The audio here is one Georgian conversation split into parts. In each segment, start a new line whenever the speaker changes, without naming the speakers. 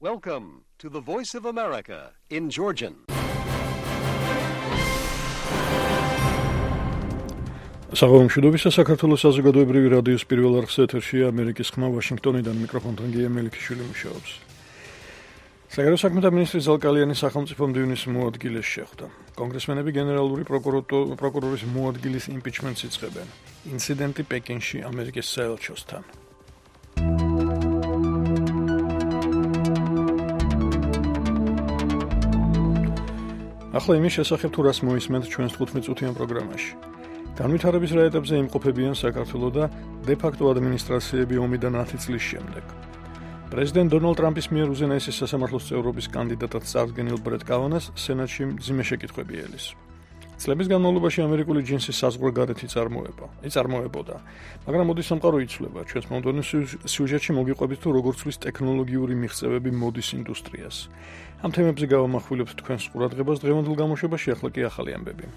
Welcome to the Voice of America in Georgian.
საღამომშვიდობისა საქართველოს საზოგადოებრივი რადიოს პირველ არხს ეთერშია ამერიკის ხმა ვაშინგტონიდან მიკროფონთან გია მელიქიშვილი მუშაობს. საგარეო საქმეთა მინისტრი ზალკალიანი სახელმწიფო მდივნის მოადგილეს შეხვდა. კონგრესმენები გენერალური პროკურორის მოადგილის იმპიჩმენტს იწყებენ. ინციდენტი პეკინში ამერიკის საელჩოსთან. ახლა იმის შესახებ თუ რას მოისმენთ ჩვენს 15 წუთიან პროგრამაში. განვითარების რა ეტაპზე იმყოფებიან საქართველო და დე-ფაქტო ადმინისტრაციები ომიდან 10 წლის შემდეგ. პრეზიდენტ დონალდ ტრამპის მიერ უზენაესი სასამართლოს წევრობის კანდიდატად წარდგენილ ბრეტ კავანას სენატში მძიმე შეკითხვები ელის. წლების განმავლობაში ამერიკული ჯინსის საზღვარგარეთ იწარმოებოდა, მაგრამ მოდის სამყარო იცვლება. ჩვენს მომდევნო სიუჟეტში მოგიყვებით თუ როგორ ცვლის ტექნოლოგიური მიღწევები მოდის ინდუსტრიას. ამ თემებზე გავამახვილებთ თქვენს ყურადღებას დღევანდელ გამოშვებაში, ახლა კი ახალი ამბები.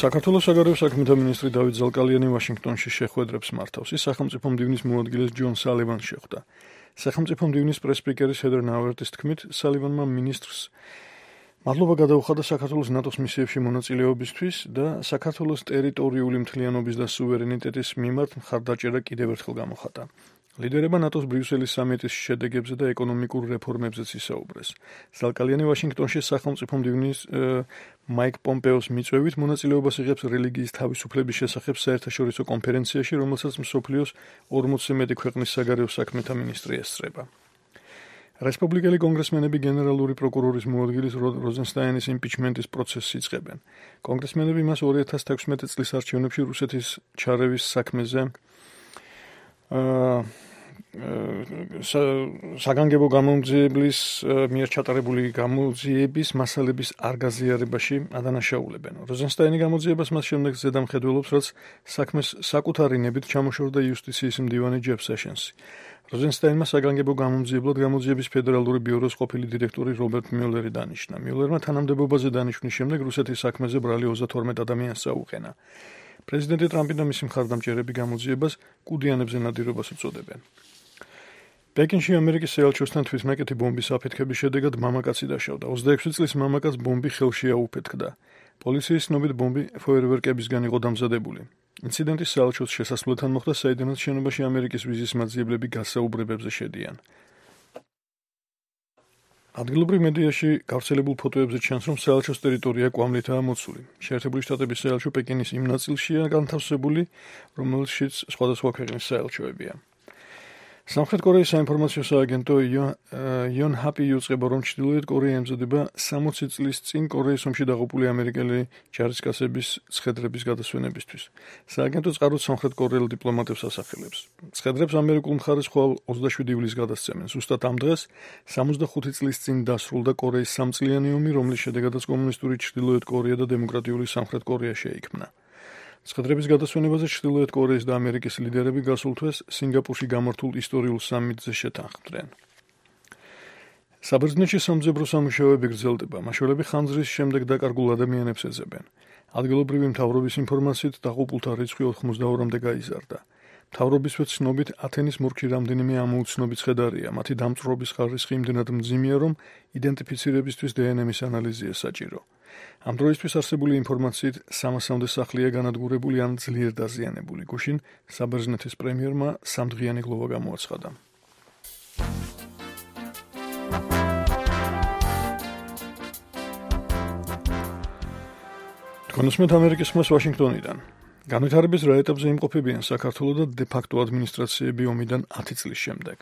საქართველოს საგარეო საქმეთა მინისტრი დავით ზალკალიანი ვაშინგტონში შეხვედრებს მართავს. ის სახელმწიფო მდივნის მოადგილეს ჯონ სალივანს შეხვდა. სახელმწიფო მდივნის პრეს-სპიკერის ჰედერ ნაუერთის თქმით, სალივანმა მინისტრს მადლობა გადაუხადა საქართველოს ნატოს მისიებში მონაწილეობისთვის და საქართველოს ტერიტორიული მთლიანობის და სუვერენიტეტის მიმართ მხარდაჭერა კიდევ ერთხელ გამოხატა. ლიდერებმა ნატოს ბრიუსელის სამიტის შედეგებზე და ეკონომიკურ რეფორმებზეც ისაუბრეს. ზალკალიანი ვაშინგტონში სახელმწიფო მდივნის მაიკ პომპეოს მიწვევით მონაწილეობას იღებს რელიგიის თავისუფლების შესახებ საერთაშორისო კონფერენციაში, რომელსაც მსოფლიოს 40-ზე მეტი ქვეყნის საგარეო საქმეთა მინისტრი ესწრება. რესპუბლიკელი კონგრესმენები გენერალური პროკურორის მოადგილის როზენსტაინის იმპიჩმენტის პროცესს იწყებენ. კონგრესმენები მას 2016 წლის არჩევნებში რუსეთის ჩარევის საქმეზე საგანგებო გამოძიების მიერ ჩატარებული გამოძიების მასალების არ გაზიარებაში ადანაშაულებენ. როზენსტაინი გამოძიებას მას შემდეგ ზედამხედველობს, რაც საქმეს საკუთარი ნებით ჩამოშორდა იუსტიციის მდივანი ჯეფ სეშენსი. როზენსტაინმა საგანგებო გამოძიებლად გამოძიების ფედერალური ბიუროს ყოფილი დირექტორი რობერტ მიულერი დანიშნა. მიულერმა თანამდებობაზე დანიშვნის შემდეგ რუსეთის საქმეზე ბრალი 32 ადამიანს წაუყენა. პრეზიდენტი ტრამპი და მისი მხარდამჭერები გამოძიებას კუდიანებზე ნადირობას უწოდებენ. პეკინში ამერიკის საელჩოსთან თვითნაკეთი ბომბის აფეთქების შედეგად მამაკაცი დაშავდა. 26 წლის მამაკაცს ბომბი ხელში აუფეთქდა. პოლიციის ცნობით ბომბი ფოიერვერკებისგან იყო დამზადებული. ინციდენტი საელჩოს შესასვლელთან მოხდა, საიდანაც შენობაში ამერიკის ვიზის მაძიებლები გასაუბრებებზე შედიან. ადგილობრივ მედიაში გავრცელებულ ფოტოებზე ჩანს, რომ საელჩოს ტერიტორია კვამლითაა მოცული. შეერთებული შტატების საელჩო პეკინის იმ ნაწილშია განთავსებული, რომელშიც სხვადასხვა ქვეყნის საელჩოებია. სამხრეთ კორეის საინფორმაციო სააგენტო იონჰაპი იუწყება, რომ ჩრდილოეთ კორეა ემზადება 60 წლის წინ კორეის ომში დაღუპული ამერიკელი ჯარისკაცების ცხედრების გადასვენებისთვის. სააგენტო წყაროდ სამხრეთ კორეელ დიპლომატებს ასახელებს. ცხედრებს ამერიკულ მხარეს ხვალ 27 ივლისს გადასცემენ. ზუსტად ამ დღეს 65 წლის წინ დასრულდა კორეის სამწლიანი ომი, რომლის შედეგადაც კომუნისტური ჩრდილოეთ კორეა და დემოკრატიული სამხრეთ კორეა შეიქმნა. ცხედრების გადასვენებაზე ჩრდილოეთ კორეის და ამერიკის ლიდერები გასულ თვეს სინგაპურში გამართულ ისტორიულ სამიტზე შეთანხმდნენ. საბერძნეთში სამძებრო სამუშაოები გრძელდება. მაშველები ხანძრის შემდეგ დაკარგულ ადამიანებს ეძებენ. ადგილობრივი მთავრობის ინფორმაციით დაღუპულთა რიცხვი 82-მდე გაიზარდა. მთავრობისვე ცნობით ათენის მორგში რამდენიმე ამოუცნობი ცხედარია. მათი დამწვრობის ხარისხი იმდენად მძიმეა, რომ იდენტიფიცირებისთვის დნმ-ის ანალიზია საჭირო. ამ დროისთვის არსებული ინფორმაციით 300-მდე სახლია განადგურებული ან ძლიერ დაზიანებული. გუშინ საბერძნეთის პრემიერმა 3-დღიანი გლოვა გამოაცხადა. თქვენსმეთ ამერიკის ხმას ვაშინგტონიდან. განვითარების რა ეტაპზე იმყოფებიან საქართველო და დე-ფაქტო ადმინისტრაციები ომიდან 10 წლის შემდეგ.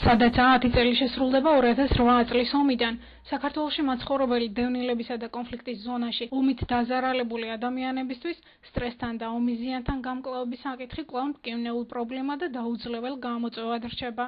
სადაც 10 წელი შესრულდება 2008 წლის ომიდან, საქართველოში მაცხოვრებელი დევნილებისა და კონფლიქტის ზონაში ომით დაზარალებული ადამიანებისთვის სტრესთან და ომის ზიანთან გამკლავების საკითხი კვლავ მტკივნეულ პრობლემა და დაუძლებელ გამოწვევად რჩება.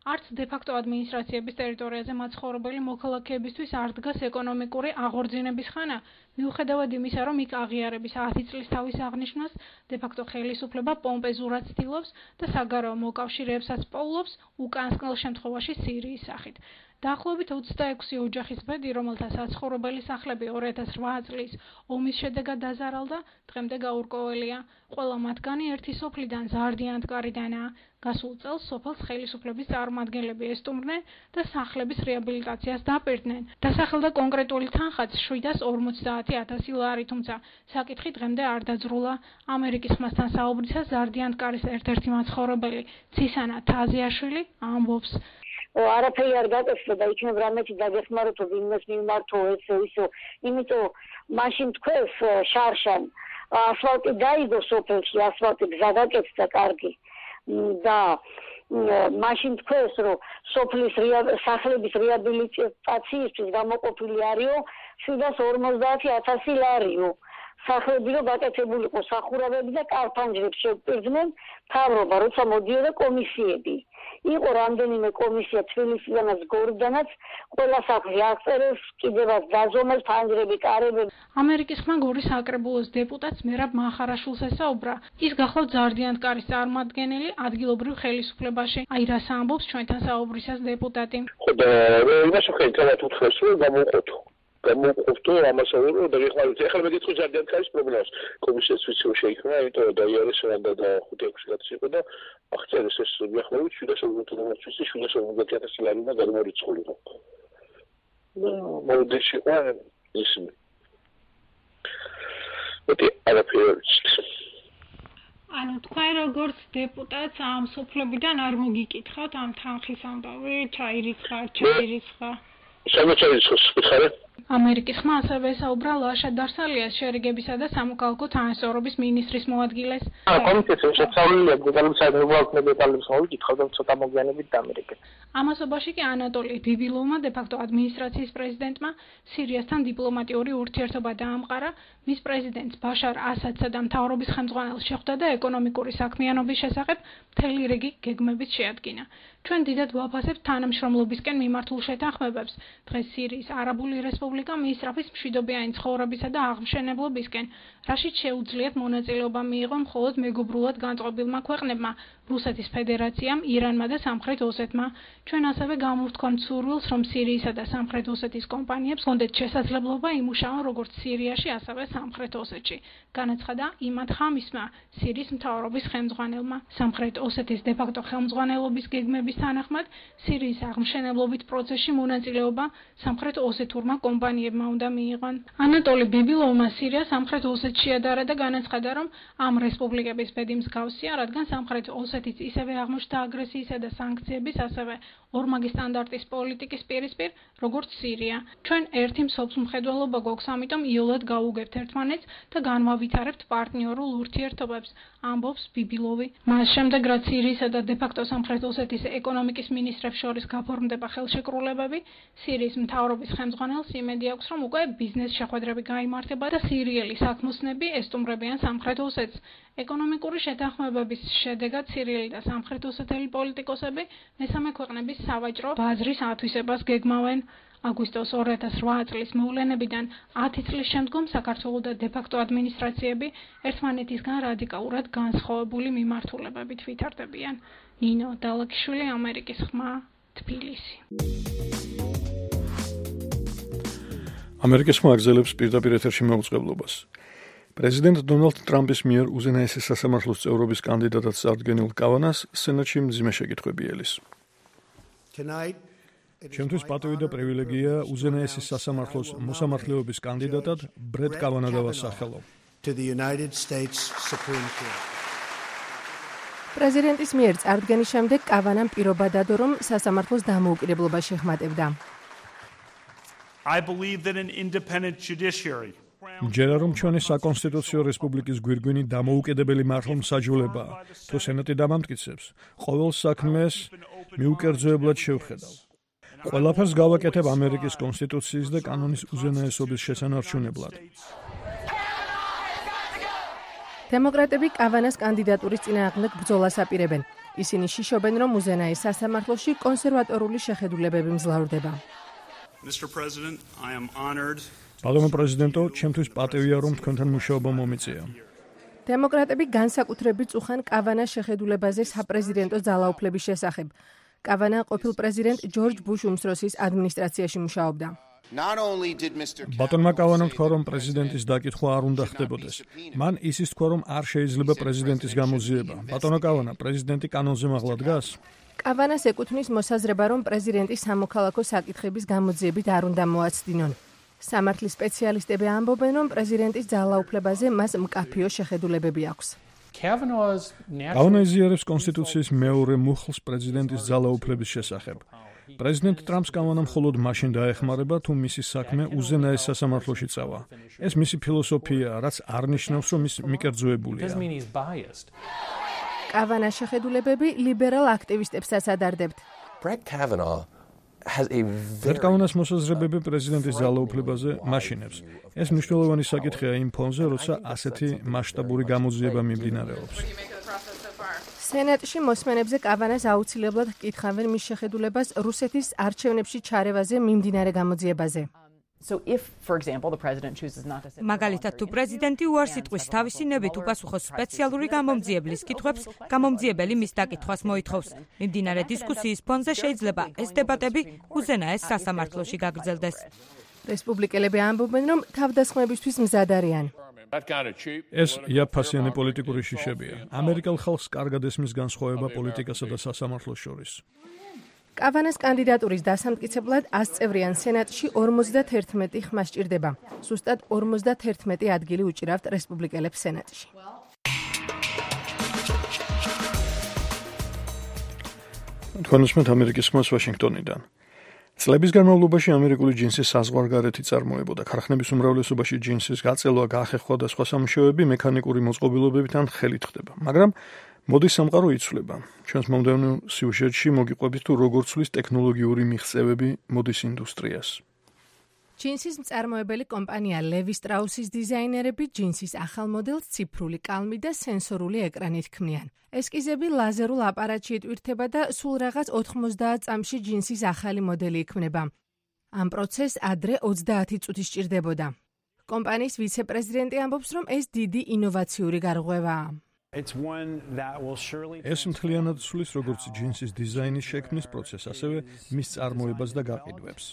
არც დე-ფაქტო ადმინისტრაციების ტერიტორიაზე მაცხოვრებელი მოქალაქეებისთვის არ დგას ეკონომიკური აღორძინების ხანა, მიუხედავად იმისა, რომ იქ აღიარების 10 წლის თავის აღნიშვნას დე-ფაქტო ხელისუფლება პომპეზურად ცდილობს და საგარეო მოკავშირეებსაც პოულობს უკანასკნელ შემთხვევაში სირიის სახით. დაახლოებით 26 ოჯახის ბედი, რომელთა საცხოვრებელი სახლები 2008 წლის ომის შედეგად დაზარალდა, დღემდე გაურკვეველია. ყველა მათგანი ერთი სოფლიდან ზარდიანთკარიდანაა. გასულ წელს სოფელს ხელისუფლების წარმომადგენლები ესტუმრნენ და სახლების რეაბილიტაციას დაპირდნენ. დასახელდა კონკრეტული თანხაც 750,000 ლარი, თუმცა საკითხი დღემდე არ დაძრულა. ამერიკის ხმასთან საუბრისას ზარდიანთკარის ერთ-ერთი მაცხოვრებელი ცისანა თაზიაშვილი ამბობს:
არაფერი არ გაკეთდა და იქნებ რამეთი დაგეხმაროთ ვინმეს მიმართო ესე ისო, იმიტომ მაშინ თქვენს შარშან ასფალტი დაიგო სოფელში, ასფალტი გზა გაკეთდა კარგი და მაშინ თქვენს რომ სოფლის სახლების რეაბილიტაციისთვის გამოყოფილი არისო 750,000 ლარიო. სახლები რომ გაკეთებულიყო სახურავები და კარფანჯრებს შეგვპირდნენ მთავრობა, როცა მოდიოდა კომისიები. იყო რამდენიმე კომისია თბილისიდანაც გორიდანაც, ყველა სახლი აღწერეს, კიდევაც დაზომეს ფანჯრები, კარებები.
ამერიკის ხმა გორის საკრებულოს დეპუტატს მერაბ მახარაშვილს ესაუბრა. ის გახლავთ ზარდიანთკარის წარმომადგენელი ადგილობრივ ხელისუფლებაში. აი რას ამბობს ჩვენთან საუბრისას დეპუტატი.
ხო და იმაში ხელით უთხრეს რომ გამოუყოფთო ამასაურო და ეხლა მეკითხო ზარდიანთკარის პრობლემას. კომისიას ვიცი რომ შეიქმნა, იმიტომ რომ დაიარეს რანდა და 5-6 კაცი იყო და აღწერეს ეს მიახლოებით 750,000 ლარი და გადმორიცხულიყო. მოდეში ყვა ისმი. მეტი არაფერი.
ანუ თქვენ როგორც დეპუტატს ამ სოფლებიდან არ მოგიკითხავთ ამ თანხის ამბავი, ჩაირიცხა.
სამოჩაირიცხოს ვიხარე?
ამერიკის ხმა ასევე ესაუბრა ლაშა დარსალიას შერიგებისა და სამოქალაქო თანასწორობის მინისტრის მოადგილეს.
კომისიის შესწავლილია დეტალების საერთაშორისო დეტალების მოვიკითხავ და ცოტა მოგვიანებით დამერიგეთ.
ამასობაში კი ანატოლი ბიბილოვმა დე-ფაქტო ადმინისტრაციის პრეზიდენტმა სირიასთან დიპლომატიური ურთიერთობა დაამყარა, მის პრეზიდენტს ბაშარ ასადსა და მთავრობის ხელმძღვანელს შეხვდა და ეკონომიკური საქმიანობის შესახებ მთელი რიგი გეგმებით შეადგინა. ჩვენ დიდად ვაფასებთ თანამშრომლობისკენ მიმართულ შეთანხმებებს. დღეს სირიის არაბული რესპუბლიკა მიისწრაფის მშვიდობიანი ცხოვრებისა და აღმშენებლობისკენ, რაშიც შეუძლიათ მონაწილეობა მიიღო მხოლოდ მეგობრულად განწყობილმა ქვეყნებმა, რუსეთის ფედერაციამ, ირანმა და სამხრეთ ოსეთმა. ჩვენ ასევე გამოვთქვამთ სურვილს, რომ სირიისა და სამხრეთ ოსეთის კომპანიებს ჰქონდეთ შესაძლებლობა იმუშაონ როგორც სირიაში, ასევე სამხრეთ ოსეთში. განაცხადა იმად ხამისმა, სირიის მთავრობის ხელმძღვანელმა. სამხრეთ ოსეთის დე-ფაქტო ხელმძღვანელობის გეგმების თანახმად, სირიის აღმშენებლობით პროცესში მონაწილეობა სამხრეთ ოსეთურმა კომპანიებმა უნდა მიიღონ. ანატოლი ბიბილოვმა სირია სამხრეთ ოსეთში ადარა და განაცხადა, რომ ამ რესპუბლიკების ბედი მსგავსია, რადგან სამხრეთ ოსეთიც ისევე აღმოჩნდა აგრესიისა და სანქციების, ასევე ორმაგი სტანდარტის პოლიტიკის პირისპირ, როგორც სირია. ჩვენ ერთი მსოფლმხედველობა გვაქვს, ამიტომ იოლად გავუგებთ ერთმანეთს და განვავითარებთ პარტნიორულ ურთიერთობებს, ამბობს ბიბილოვი. მას შემდეგ, რაც სირიისა და დე-ფაქტო სამხრეთ ოსეთის ეკონომიკის მინისტრებს შორის გაფორმდება ხელშეკრულებები, სირიის მთავრობის ხელმძღვანელს იმედი აქვს, რომ უკვე ბიზნეს შეხვედრები გაიმართება და სირიელი საქმოსნები ესტუმრებიან სამხრეთ ოსეთს. ეკონომიკური შეთანხმებების შედეგად სირიელი და სამხრეთ ოსეთელი პოლიტიკოსები მესამე ქვეყნების სავაჭრო ბაზრის ათვისებას გეგმავენ. აგვისტოს 2008 წლის მოვლენებიდან 10 წლის შემდგომ საქართველოს და დე-ფაქტო ადმინისტრაციები ერთმანეთისგან რადიკალურად განსხვავებული მიმართულებებით ვითარდებიან. ნინო დალაკიშვილი, ამერიკის ხმა, თბილისი.
ამერიკის ხმა აგზელებს პირდაპირ ეთერში მეუწყებლობას. პრეზიდენტ დონალდ ტრამპის მიერ უზენაესი სასამართლოს წევრობის კანდიდატად წარდგენილ კავანას სენატში მძიმე შეკითხვები ელის. Ჩემთვის პატივი და პრივილეგია უზენაესი სასამართლოს მოსამართლეობის კანდიდატად ბრედ კავანა დავასახელო.
პრეზიდენტის მიერ წარდგენის შემდეგ კავანამ პირობა დადო, რომ სასამართლოს დამოუკიდებლობა შეხმატებდა.
მჯერა რომ ჩვენი საკონსტიტუციო რესპუბლიკის გვირგვინი დამოუკიდებელი მართლმსაჯულებაა, თუ სენატი დამამტკიცებს, ყოველ საქმეს მიუკერძოებლად შევხედავ. ყველაფერს გავაკეთებ ამერიკის კონსტიტუციის და კანონის უზენაესობის შესანარჩუნებლად.
დემოკრატები კავანას კანდიდატურის წინააღმდეგ ბრძოლას აპირებენ. ისინი შიშობენ, რომ უზენაეს სასამართლოში კონსერვატორული შეხედულებები მძლავრდება.
ბატონო პრეზიდენტო, ჩემთვის პატივია, რომ თქვენთან მუშაობა მომიწია.
დემოკრატები განსაკუთრებით წუხან კავანას შეხედულებაზე საპრეზიდენტო ძალაუფლების შესახებ. კავანა ყოფილ პრეზიდენტ ჯორჯ ბუშ უმცროსის ადმინისტრაციაში მუშაობდა.
ბატონმა კავანამ თქვა, რომ პრეზიდენტის დაკითხვა არ უნდა ხდებოდეს. მან ისიც თქვა, რომ არ შეიძლება პრეზიდენტის გამოძიება. ბატონო კავანა, პრეზიდენტი კანონზე მაღლა დგას?
კავანას ეკუთვნის მოსაზრება, რომ პრეზიდენტი სამოქალაქო საკითხების გამოძიებით არ უნდა მოაცდინონ. სამართლის სპეციალისტები ამბობენ, რომ პრეზიდენტის ძალაუფლებაზე მას მკაფიო შეხედულებები აქვს.
კავანა იზიარებს კონსტიტუციის მეორე მუხლს პრეზიდენტის ძალაუფლების შესახებ. პრეზიდენტ ტრამპს კავანა მხოლოდ მაშინ დაეხმარება, თუ მისი საქმე უზენაეს სასამართლოში წავა. ეს მისი ფილოსოფიაა, რაც არ ნიშნავს, რომ ის მიკერძოებულია.
კავანას შეხედულებები ლიბერალ აქტივისტებსაც ადარდებთ.
კავანას მოსაზრებები პრეზიდენტის ძალაუფლებაზე მაშინებს. ეს მნიშვნელოვანი საკითხია იმ ფონზე, როცა ასეთი მასშტაბური გამოძიება მიმდინარეობს.
სენატში მოსმენებზე კავანას აუცილებლად ჰკითხავენ მის შეხედულებას რუსეთის არჩევნებში ჩარევაზე მიმდინარე გამოძიებაზე.
მაგალითად, თუ პრეზიდენტი უარს იტყვის თავისი ნებით უპასუხოს სპეციალური გამომძიებლის კითხვებს, გამომძიებელი მის დაკითხვას მოითხოვს. მიმდინარე დისკუსიის ფონზე შეიძლება ეს დებატები უზენაეს სასამართლოში გაგრძელდეს.
რესპუბლიკელები ამბობენ, რომ თავდასხმებისთვის მზად არიან.
ეს იაფფასიანი პოლიტიკური შიშებია. ამერიკელ ხალხს კარგად ესმის განსხვავება პოლიტიკასა და სასამართლოს შორის.
კავანას კანდიდატურის დასამტკიცებლად 100 წევრიან სენატში 51 ხმა სჭირდება. ზუსტად 51 ადგილი უჭირავთ რესპუბლიკელებს სენატში.
თქვენ უსმენთ ამერიკის ხმას ვაშინგტონიდან. წლების განმავლობაში ამერიკული ჯინსის საზღვარგარეთი წარმოებოდა. ქარხნების უმრავლესობაში ჯინსის გაწელვა, გახეხვა და სხვა სამუშაოები მექანიკური მოწყობილობებით ან ხელით ხდება. მაგრამ მოდის სამყარო იცვლება. ჩვენს მომდევნო სიუჟეტში მოგიყვებით თუ როგორ ცვლის ტექნოლოგიური მიღწევები მოდის ინდუსტრიას.
ჯინსის მწარმოებელი კომპანია ლევი სტრაუსის დიზაინერები ჯინსის ახალ მოდელს ციფრული კალმი და სენსორული ეკრანით ქმნიან. ესკიზები ლაზერულ აპარატში იტვირთება და სულ რაღაც 90 წამში ჯინსის ახალი მოდელი იქმნება. ამ პროცესს ადრე 30 წუთი სჭირდებოდა. კომპანიის ვიცე-პრეზიდენტი ამბობს, რომ ეს დიდი ინოვაციური გარღვევაა.
ეს მთლიანად ცვლის როგორც ჯინსის დიზაინის შექმნის პროცესს, ასევე მის წარმოებას და გაყიდვებს.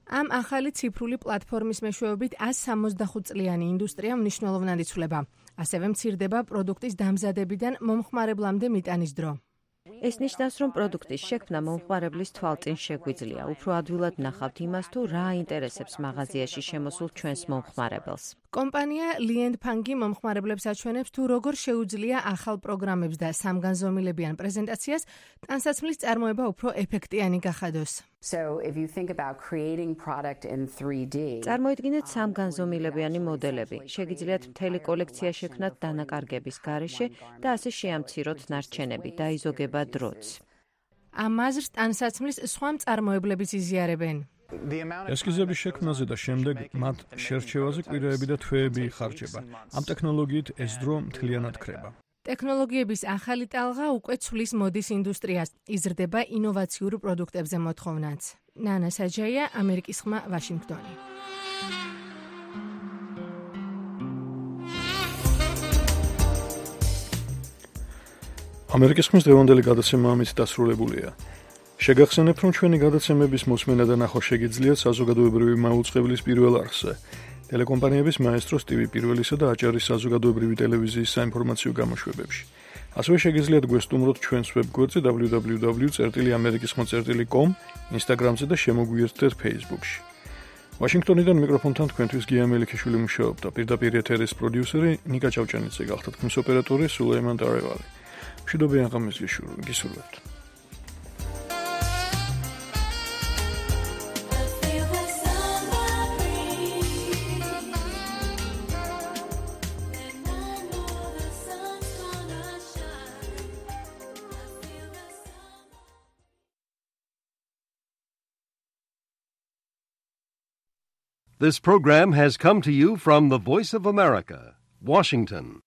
ამ ახალი ციფრული პლატფორმის მეშვეობით 165 წლიანი ინდუსტრია მნიშვნელოვნად იცვლება. ასევე მცირდება პროდუქტის დამზადებიდან მომხმარებლამდე მიტანის დრო.
ეს ნიშნავს, რომ პროდუქტის შექმნა მომხმარებლის თვალწინ შეგვიძლია. უფრო ადვილად ნახავთ იმას, თუ რა აინტერესებს მაღაზიაში შემოსულ ჩვენს მომხმარებელს.
კომპანია ლიენდფანგი მომხმარებლებს აჩვენებს, თუ როგორ შეუძლია ახალ პროგრამებს და სამგანზომილებიან პრეზენტაციას ტანსაცმლის წარმოება უფრო ეფექტიანი გახადოს.
წარმოიდგინეთ სამგანზომილებიანი მოდელები. შეგიძლიათ მთელი კოლექცია შექმნათ დანაკარგების გარეშე და ასე შეამციროთ ნარჩენები, დაიზოგება დროც.
ამ აზრს ტანსაცმლის სხვა მწარმოებლებიც იზიარებენ.
ესკიზების შექმნაზე და შემდეგ მათ შერჩევაზე კვირაები და თვეები იხარჯება. ამ ტექნოლოგიით ეს დრო მთლიანად ქრება.
ტექნოლოგიების ახალი ტალღა უკვე ცვლის მოდის ინდუსტრიას. იზრდება ინოვაციურ პროდუქტებზე მოთხოვნაც. ნანა საჯაია, ამერიკის ხმა, ვაშინგტონი.
ამერიკის ხმის დღევანდელი გადაცემა ამით დასრულებულია. შეგახსენებთ, რომ ჩვენი გადაცემების მოსმენა და ნახვა შეგიძლიათ საზოგადოებრივი მაუწყებლის პირველ არხზე, ტელეკომპანიების მაესტროს TV პირველისა და აჭარის საზოგადოებრივი ტელევიზიის საინფორმაციო გამოშვებებში. ასევე შეგიძლიათ გვესტუმროთ ჩვენს ვებგვერდზე www.amerikisxma.com, Instagram-ზე და შემოგვიერთდეთ Facebook-ში. ვაშინგტონიდან მიკროფონთან თქვენთვის გია მელიქიშვილი მუშაობდა. პირდაპირ ეთერის პროდიუსერი ნიკა ჭავჭანიძე გახდა, თქმის ოპერატორი სულეიმან დარევალი. მშვიდობიან ღამეს გისურვებთ.
This program has come to you from the Voice of America, Washington.